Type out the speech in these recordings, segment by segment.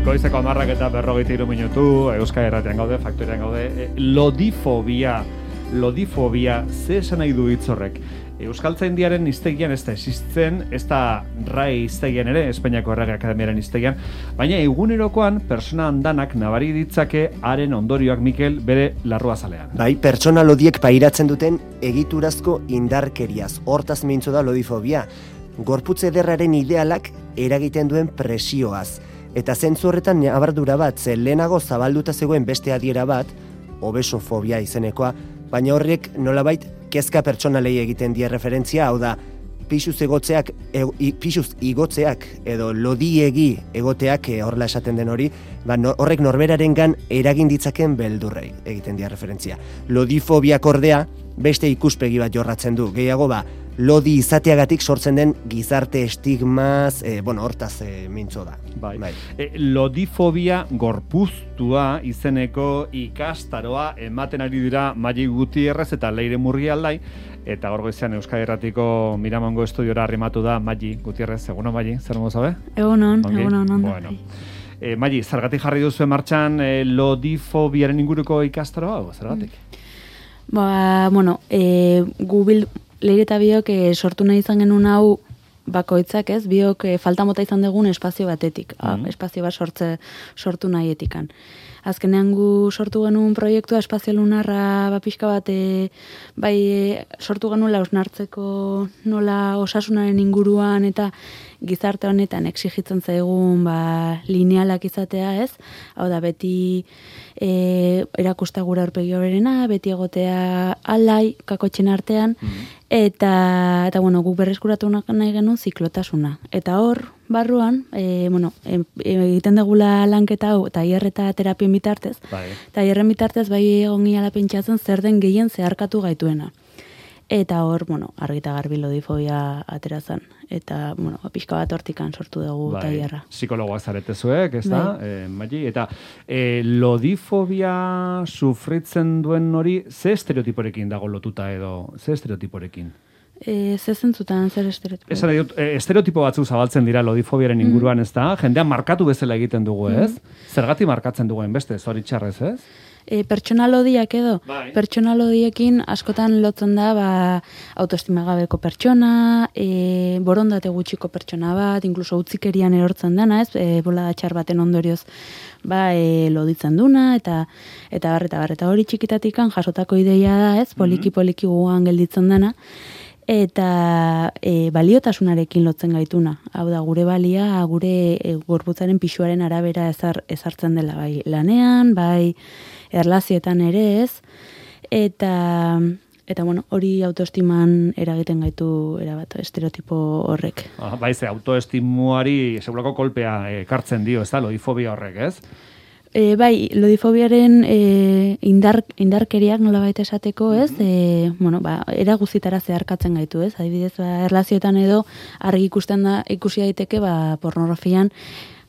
Goizeko 10:43 minutu, Euskal Irratian gaude, Faktorian gaude, lodifobia, ze esan nahi du hitz horrek? Euskaltzaindiaren hiztegian ez da existitzen, ez da RAI hiztegian ere, Espainiako Errege Akademiaren hiztegian, baina egunerokoan persona andanak nabari ditzake haren ondorioak Mikel bere larruazalean. Bai, pertsona lodiek pairatzen duten egiturazko indarkeriaz, hortaz mintzo da lodifobia. Gorputz ederraren idealak eragiten duen presioaz. Eta zentzu horretan abardura bat, ze lehenago zabalduta zegoen beste adiera bat, obesofobia izenekoa, baina horrek nolabait kezka pertsonalei egiten die referentzia, hau da, pixuz igotzeak edo lodiegi egoteak horrela esaten den hori, horrek norberarengan eragin ditzaken beldurrei egiten die referentzia. Lodifobiak ordea beste ikuspegi bat jorratzen du, gehiago lodi izateagatik sortzen den gizarte estigmaz, hortaz mintzo da. Bai. Lodifobia gorpuztua izeneko ikastaroa ematen ari dira Magi Gutierrez eta Leire Murrialdai, eta gaur goizean Euskal Irratiko Miramongo estudiora arrimatu da Magi Gutierrez. Egunon, Magi, zer modu zabe? Egunon. Bueno. Magi, zergatik jarri duzu martxan lodifobiaren inguruko ikastaroa hau, zergatik? Leire eta biok sortu nahi izan genuen hau bakoitzak, ez? Biok falta mota izan dugun espazio batetik, espazio bat sortu nahietikan. Azkenean gu sortu genuen proiektua espazio lunarra pixka bat sortu genuela osnartzeko nola osasunaren inguruan eta gizarte honetan exigitzen zaigun linealak izatea, ez? Hau da, beti erakusta gura aurpegi horrena, beti egotea alai kakotxen artean, eta guk berreskuratu nahi genuen ziklotasuna. Eta hor, barruan, egiten dugula lanketa hau, tailer eta terapien bitartez, tailerren bitartez egon giala pentsatzen zer den gehien zeharkatu gaituena. Eta hor, argi eta garbi lodifobia atera zen. Eta, pixka bat hortikan sortu dugu tailerra. Psikologoak zaretezuek, ez da? Magi, eta lodifobia sufritzen duen hori, ze estereotiporekin dago lotuta edo, ze estereotiporekin? Ze zentzutan, zer estereotipo? Estereotipo batzuk zabaltzen dira lodifobiaren inguruan, ez da? Jendean markatu bezala egiten dugu, ez? Zergatik markatzen duguen beste, zoritxarrez, ez? Pertsona lodiak edo, pertsona lodiekin askotan lotzen da autoestima gabeko pertsona, borondate gutxiko pertsona bat, inkluso utzikerian erortzen dena, ez? Bolada txar baten ondorioz loditzen duna, eta hori txikitatikan jasotako ideia da, ez? Poliki gugan gelditzen dena, eta baliotasunarekin lotzen gaituna. Hau da, gure balia, gure gorputzaren pisuaren arabera ezartzen dela, bai lanean, bai erlazioetan ere, ez? Eta hori autoestiman eragiten gaitu erabat estereotipo horrek. Ze autoestimuari segurako kolpea ekartzen dio, ez da, lodifobia horrek, ez? Lodifobiaren indarkeriak nolabait esateko, ez? Era guztitara zeharkatzen gaitu, ez? Adibidez, erlazioetan edo argi ikusi daiteke pornografian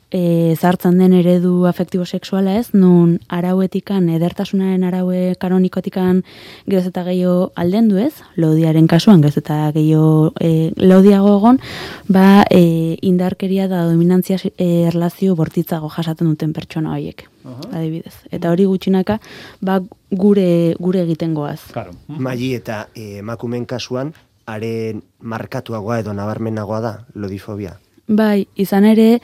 zartzen den eredu afektibo sexuala, ez? Nun arauetikan, edertasunaren araue kanonikotikan geroz eta gehiago aldendu, ez? Lodiaren kasuan geroz eta gehiago lodiago egon, indarkeria da dominantzia erlazio bortitzago jasaten duten pertsona horiek, adibidez. Eta hori gutxinaka, gure egiten goaz. Magi eta emakumeen kasuan, haren markatuagoa edo nabarmenagoa da lodifobia. Izan ere,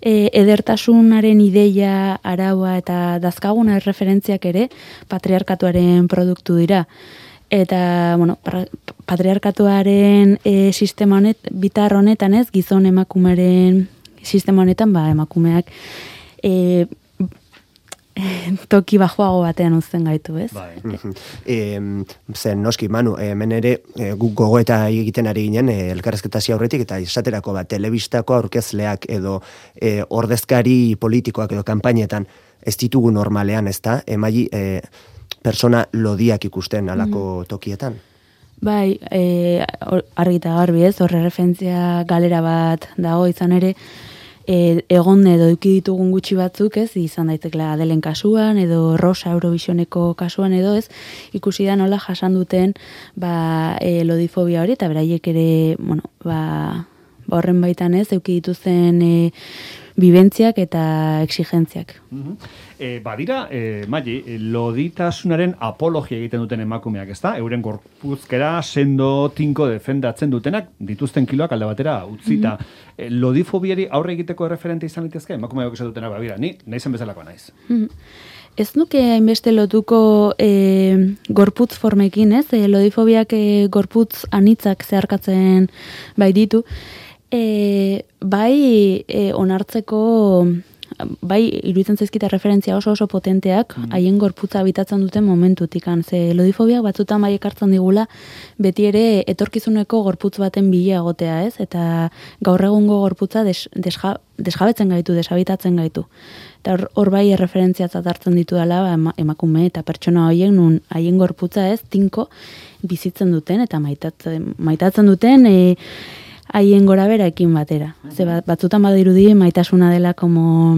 edertasunaren ideia, araua eta dazkaguna referentziak ere patriarkatuaren produktu dira. Eta, patriarkatuaren sistema bitar honetan, ez, gizon emakumeren sistema honetan, emakumeak toki bajoago batean uzten gaitu, ez? Zen, noski, Manu, hemen ere guk gogoeta egiten ari ginen elkarrezketazio aurretik, eta esaterako telebistako aurkezleak edo ordezkari politikoak edo kanpainetan ez ditugu normalean, ez da? Magi, persona lodiak ikusten alako tokietan? Argi eta garbi, ez? Horre referentzia galera bat dago izan ere, egon edo eduki ditugun gutxi batzuk, ez, izan daitekela Adelen kasuan, edo Rosa Eurovisioneko kasuan edo, ez, ikusi da nola jasan duten lodifobia hori, eta beraiek ere, horren baitan ez, eduki dituzten bibentziak eta exigentziak. Badira, Maili, loditasunaren apologia egiten duten emakumeak, ezta? Euren gorpuzkera sendo tinko defendatzen dutenak, dituzten kiloak alde batera utzita. Lodifobiari aurre egiteko referente izan litezke? Emakumeak esan dutenak, bira, ni naizen bezalako naiz. Ez nuke hainbeste lotuko gorputz formekin, ez? Lodifobiak gorputz anitzak zeharkatzen bai ditu. Onartzeko, bai iruditzen zaizkita referentzia oso potenteak haien gorputza habitatzen duten momentutikan. Ze lodifobiak batzutan bai ekartzen digula beti ere etorkizuneko gorputz baten bila egotea, ez? Eta gaur egungo gorputza desjabetzen gaitu, deshabitatzen gaitu. Eta hor bai referentziatzat hartzen ditu dela emakume eta pertsona horiek nun haien gorputza ez tinko bizitzen duten eta maitatzen duten haien goraberaekin batera. Ze batzutan badirudi maitasuna dela como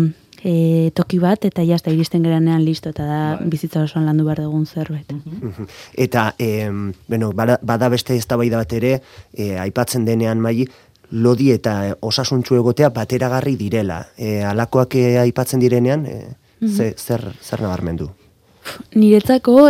toki bat eta jazta iristen geranean listo eta da bizitza osoan landu behar dugun zerbait. Eta bada beste eztabaida bat ere aipatzen denean Maili, lodi eta osasuntsu egotea bateragarri direla. Alakoak aipatzen direnean, zer nabarmendu? Niretzako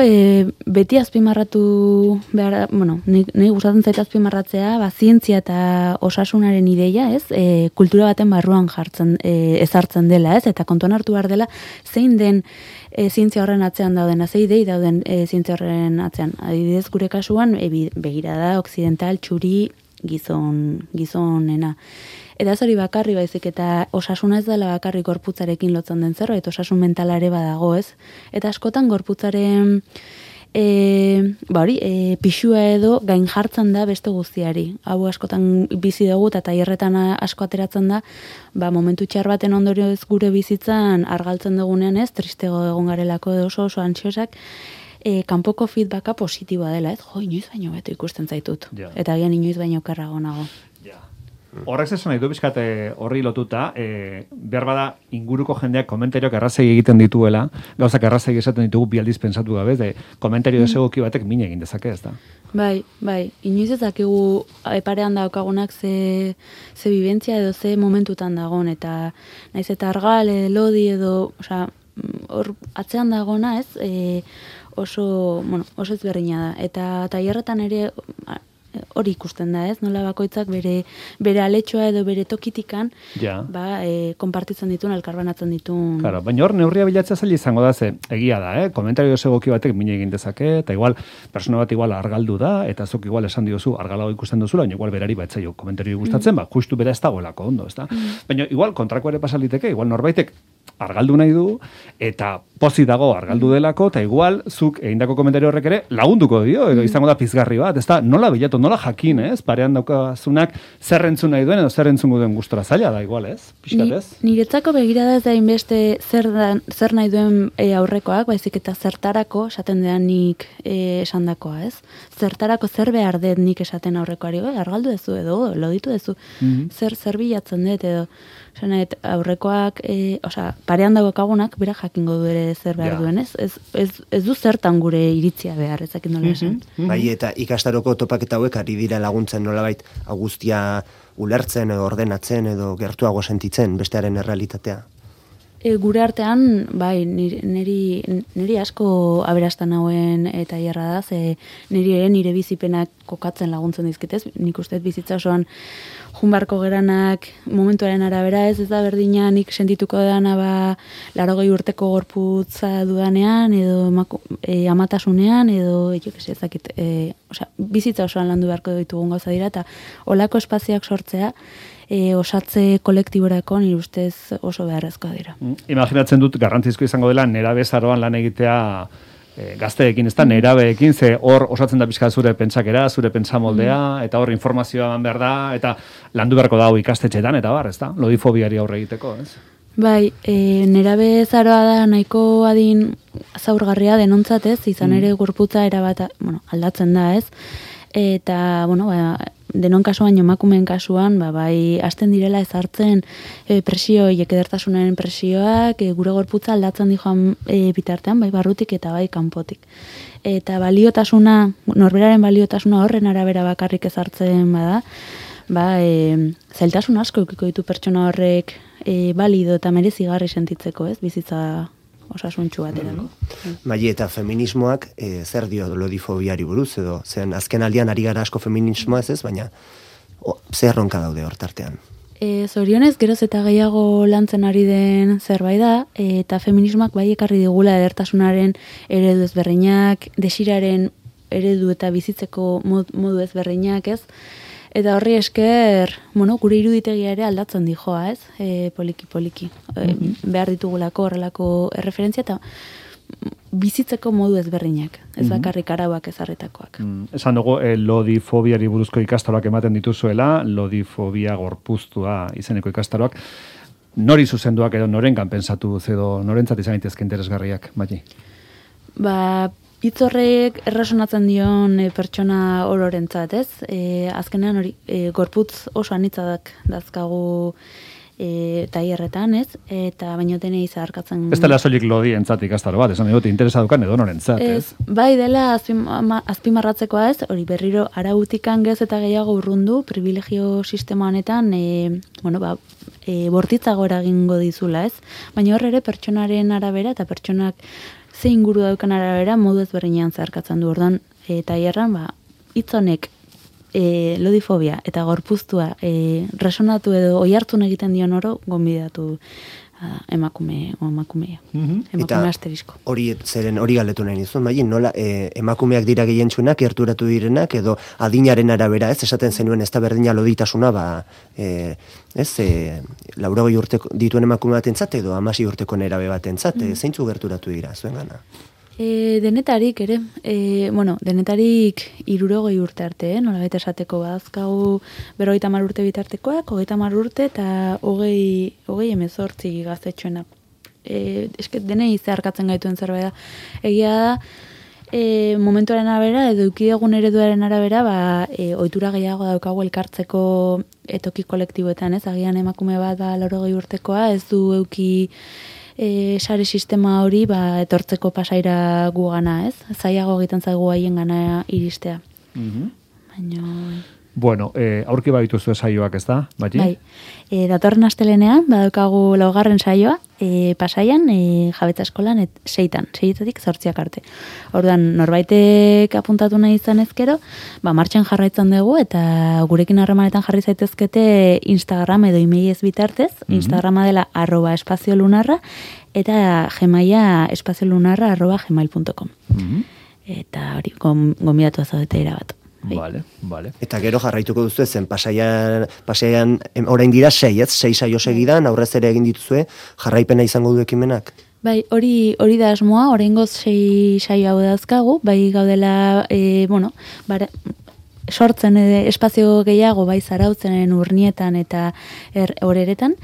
beti azpimarratu behar, nahi gustatzen zait azpimarratzea, zientzia eta osasunaren ideia, ez? Kultura baten barruan ezartzen dela, ez? Eta kontuan hartu behar dela, zein den zientzia horren atzean daudena, zein idei dauden zientzia horren atzean. Adibidez, gure kasuan, begirada, occidental, txuri, gizonena. Eta ez hori bakarri baizik eta osasuna ez dela bakarri gorputzarekin lotzen den zerbait, osasun mentalare badago, ez? Eta askotan gorputzaren pixua edo gain jartzen da beste guztiari. Hau askotan bizi dugu eta tailerretan asko ateratzen da, momentu txar baten ondorioz gure bizitzan argaltzen dugunean, ez? Tristego egon garelako edo oso antsiosak, kanpoko feedbacka positiboa dela, ez? Inoiz baino beto ikusten zaitut. Ja. Eta agian inoiz baino okerrago nago. Ja. Horrek zesan nahi du bizkat horri lotuta, behar bada inguruko jendeak komentarioak errazegi egiten dituela, gauzak errazegi esaten ditugu bi aldiz pensatu gabe, komentario desegoki batek min egin dezake, ez da? Bai, inoiz ez dakigu parean daukagunak ze bibentzia edo ze momentutan dagon, eta naiz eta argal, lodi edo, hor atzean dagona, ez? Oso ezberdina da. Eta tailerretan ere hori ikusten da, ez? Nola bakoitzak bere aletxoa edo bere tokitikan konpartitzen dituen, elkarbanatzen dituen. Claro, baina hor neurria bilatzea zaila izango da, ze egia da, komentario egoki batek min egin dezake, eta igual persona bat igual argaldu da, eta zuk igual esan diozu argalago ikusten duzula, baina igual berari batzaio komentario gustatzen, justu bera ez dagoelako ondo, ez da? Baina igual kontrako ere pasaliteke, igual norbaitek argaldu nahi du, eta pozik dago argaldu delako, eta igual zuk egindako komentario horrek ere lagunduko dio, edo izango da pizgarri bat, ez da, nola bilatu, nola jakin, ez? Parean daukazunak zer entzun nahi duen, edo zer entzungo duen gustora zaila da, igual, ez? Piskat, ez? Niretzako begirada ez da inbeste zer nahi duen aurrekoak, baizik eta zertarako esaten dean nik esandakoa, ez? Zertarako zer behar dut nik esaten aurrekoari, argaldu dezu edo, loditu dezu, zer bilatzen dut edo, aurrekoak, parean dagokagunak, bera jakingo du ere zer behar duen, ez? Ez du zertan gure iritzia behar, ezak nola esan. Bai, eta ikastaroko topaketa hauek ari dira laguntzen nolabait guztia ulertzen edo ordenatzen edo gertuago sentitzen bestearen errealitatea. Gure artean, bai, niri asko aberastan hauen eta hierra da, ze nire bizipenak kokatzen laguntzen dizkitez, nik uste bizitza osoan junbarko geranak momentuaren arabera ez da berdina nik sentituko dana 80 urteko gorputza dudanean edo amatasunean edo ezakit, bizitza osoan landu beharko ditugun gauza dira eta olako espazioak sortzea osatze kolektiborako nire ustez oso beharrezkoa dira. Imaginatzen dut garrantzizko izango dela nerabe zaroan lan egitea gazteekin, ez da, nerabeekin, ze hor osatzen da pixka zure pentsakera, zure pentsamoldea, eta hor informazioa eman behar da, eta landu beharko dago ikastetxetan, eta bar, ez da, lodifobiari aurre egiteko, ez? Bai, nerabe zaroa da nahiko adin zaurgarria denontzat, ez, izan ere gorputza erabat, aldatzen da, ez, eta, denon kasuan, emakumeen kasuan, bai, hasten direla ezartzen presioiek edertasunaren presioak, gure gorputza aldatzen di joan bitartean, bai, barrutik eta bai, kanpotik. Eta baliotasuna, norberaren baliotasuna horren arabera bakarrik ezartzen bada, zailtasun asko ikiko ditu pertsona horrek balido eta merezigarri sentitzeko, ez? Bizitza osasuntsu baterako. Maili, eta feminismoak zer dio lodifobiari buruz, edo zen azken aldian ari gara asko feminismoa ez, baina zer ronka daude hortartean? Zorionez, geroz eta gehiago lantzen ari den zerbait da, eta feminismoak bai ekarri digula edertasunaren eredu ezberdinak, desiraren eredu eta bizitzeko modu ezberdinak, ez? Eta horri esker, gure iruditegia ere aldatzen dijoa, ez? Poliki. Behar ditugulako horrelako erreferentzia eta bizitzeko modu ezberdinak, ez bakarrik arauak ezarritakoak. Esan dugu, lodifobiari buruzko ikastaroak ematen dituzuela, lodifobia gorpuztua izeneko ikastaroak. Nori zuzenduak edo norengan pensatu edo norentzat izan daitezke interesgarriak, Maili? Hitz horrek erresonatzen dion pertsona ororentzat, ez? Azkenean hori gorputz oso anitzak dazkagu tailerretan, ez? Eta baino denei zeharkatzen... Ez dela soilik lodientzat ikastaro bat, esan dut interesadukan edo norentzat, ez? Bai dela azpimarratzekoa, ez? Hori berriro arautikan gez eta gehiago urrundu, privilegio sistema honetan, bortitzago eragingo dizula, ez? Baina hor ere pertsonaren arabera eta pertsonak ze inguru daukan arabera modu ezberdinean zeharkatzen du. Orduan, tailerran, hitz honek lodifobia eta gorpuztua resonatu edo oihartzun egiten dion oro gonbidatu emakumea. Emakume asterisko. Hori galdetu nahi nizun, Maili, nola emakumeak dira gehientsunak, gerturatu direnak, edo adinaren arabera, ez esaten zenuen ez da berdina loditasuna, 80 urte dituen emakume batentzat edo 16 urteko nerabe batentzat, zeintzu gerturatu dira zuen gana? Denetarik ere, denetarik 60 urte arte, nolabait esateko badazkagu 50 urte bitartekoak, 30 urte eta 28 gaztetxoenak. Denei zeharkatzen gaituen zerbait da. Egia da, momentuaren arabera, edo eukidegun ereduaren arabera, ohitura gehiago daukagu elkartzeko toki kolektiboetan, ez? Agian emakume bat 80 urtekoa, ez du euki sare sistema hori etortzeko pasaira gugana, ez? Zailago egiten zaigu haien gana iristea. Baina... Bueno, aurki badituzu saioak, ez da, Maili? Bai, datorren astelenean, badaukagu 4. saioa, Pasaian, Jabetza eskolan, 6-etatik 8 arte. Orduan, norbaitek apuntatu nahi izan ezkero, martxan jarraitzen dugu, eta gurekin harremanetan jarri zaitezkete Instagram edo emailez bitartez, Instagrama dela @espaziolunarra, eta Gmaila espaziolunarra@gmail.com. Eta hori, gonbidatu zaudete erabat. Vale. Eta gero jarraituko duzu ezen, pasaian orain dira 6 saio segidan, aurrez ere egin dituzue, jarraipena izango du ekimenak? Bai, hori da asmoa, oraingoz 6 saio hau dauzkagu, bai gaudela, sortzen espazio gehiago, bai zarautzen urnietan eta horeretan,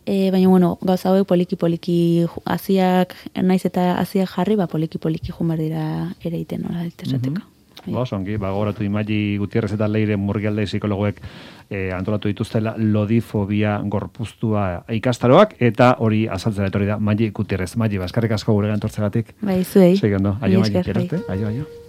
baina, gauza hauek poliki hasiak, naiz eta hasiak jarri, poliki jumar dira ere iten, nola esateko. Ongi, gogoratu Maili Gutierrez eta Leire Murgialde psikologoek antolatu dituztela lodifobia gorpuztua ikastaroak, eta hori azaltzera etorri da Maili Gutierrez. Maili, eskerrik asko guregan tortzegatik. Bai, zuei. Aio, Maili, gerarte. Aio.